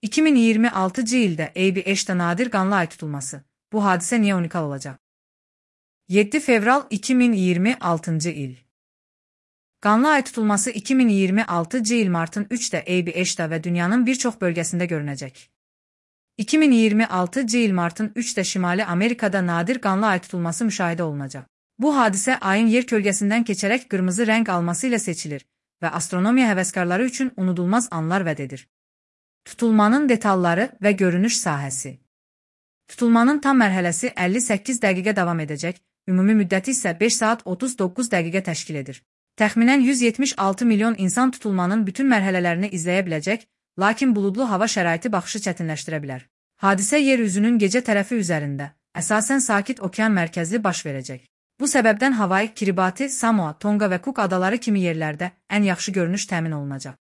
2026 ildə AB5-də nadir qanlı ay tutulması. Bu hadisə niyə unikal olacaq? 7 fevral 2026 il. Qanlı ay tutulması 2026 il martın 3-də AB5-də və dünyanın bir çox bölgəsində görünəcək. 2026 il martın 3-də Şimali Amerikada nadir qanlı ay tutulması müşahidə olunacaq. Bu hadisə ayın yer kölgəsindən keçərək qırmızı rəng alması ilə seçilir və astronomiya həvəskarları üçün unudulmaz anlar vəd edir. Tutulmanın detalları və görünüş sahəsi. Tutulmanın tam mərhələsi 58 dəqiqə davam edəcək, ümumi müddəti isə 5 saat 39 dəqiqə təşkil edir. Təxminən 176 milyon insan tutulmanın bütün mərhələlərini izləyə biləcək, lakin buludlu hava şəraiti baxışı çətinləşdirə bilər. Hadisə yer üzünün gecə tərəfi üzərində, əsasən sakit okean mərkəzli baş verəcək. Bu səbəbdən Havay, Kiribati, Samoa, Tonga və Cook adaları kimi yerlərdə ən yaxşı görünüş təmin olunacaq.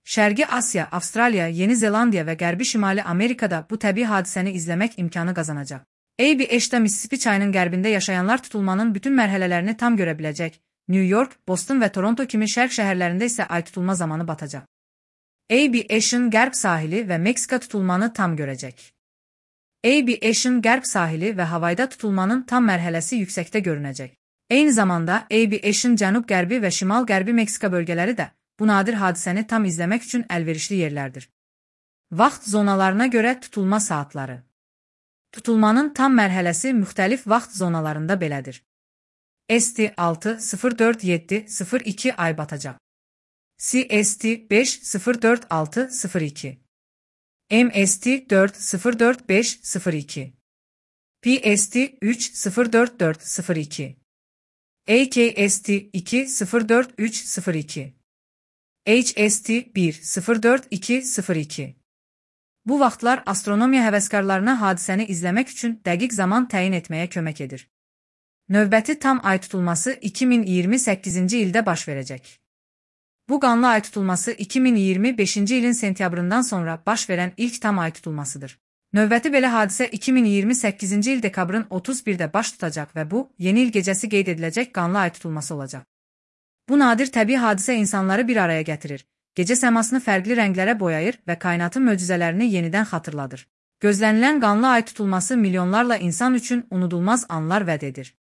Şərqi Asiya, Avstraliya, Yeni Zelandiya və Qərbi Şimali Amerikada bu təbii hadisəni izləmək imkanı qazanacaq. AB5-də Mississippi çayının qərbində yaşayanlar tutulmanın bütün mərhələlərini tam görə biləcək. New York, Boston və Toronto kimi şərq şəhərlərində isə ay tutulma zamanı batacaq. AB5-in qərb sahili və Meksika tutulmanı tam görəcək. AB5-in qərb sahili və Havayda tutulmanın tam mərhələsi yüksəkdə görünəcək. Eyni zamanda AB5-in cənub-qərbi və şimal-qərbi Meksika bölgələri də bu nadir hadisəni tam izləmək üçün əlverişli yerlərdir. Vaxt zonalarına görə tutulma saatları. Tutulmanın tam mərhələsi müxtəlif vaxt zonalarında belədir. ST 6:04:7:02 ay batacaq. CST 5:04:06:02 MST 4:04:05:02 PST 3:04:4:02 AKST 2:04:3:02 HST 1:04:2:02 Bu vaxtlar astronomiya həvəskarlarına hadisəni izləmək üçün dəqiq zaman təyin etməyə kömək edir. Növbəti tam ay tutulması 2028-ci ildə baş verəcək. Bu qanlı ay tutulması 2025-ci ilin sentyabrından sonra baş verən ilk tam ay tutulmasıdır. Növbəti belə hadisə 2028-ci il dekabrın 31-də baş tutacaq və bu, yeni il gecəsi qeyd ediləcək qanlı ay tutulması olacaq. Bu nadir təbii hadisə insanları bir araya gətirir, gecə səmasını fərqli rənglərə boyayır və kainatın möcüzələrini yenidən xatırladır. Gözlənilən qanlı ay tutulması milyonlarla insan üçün unudulmaz anlar vəd edir.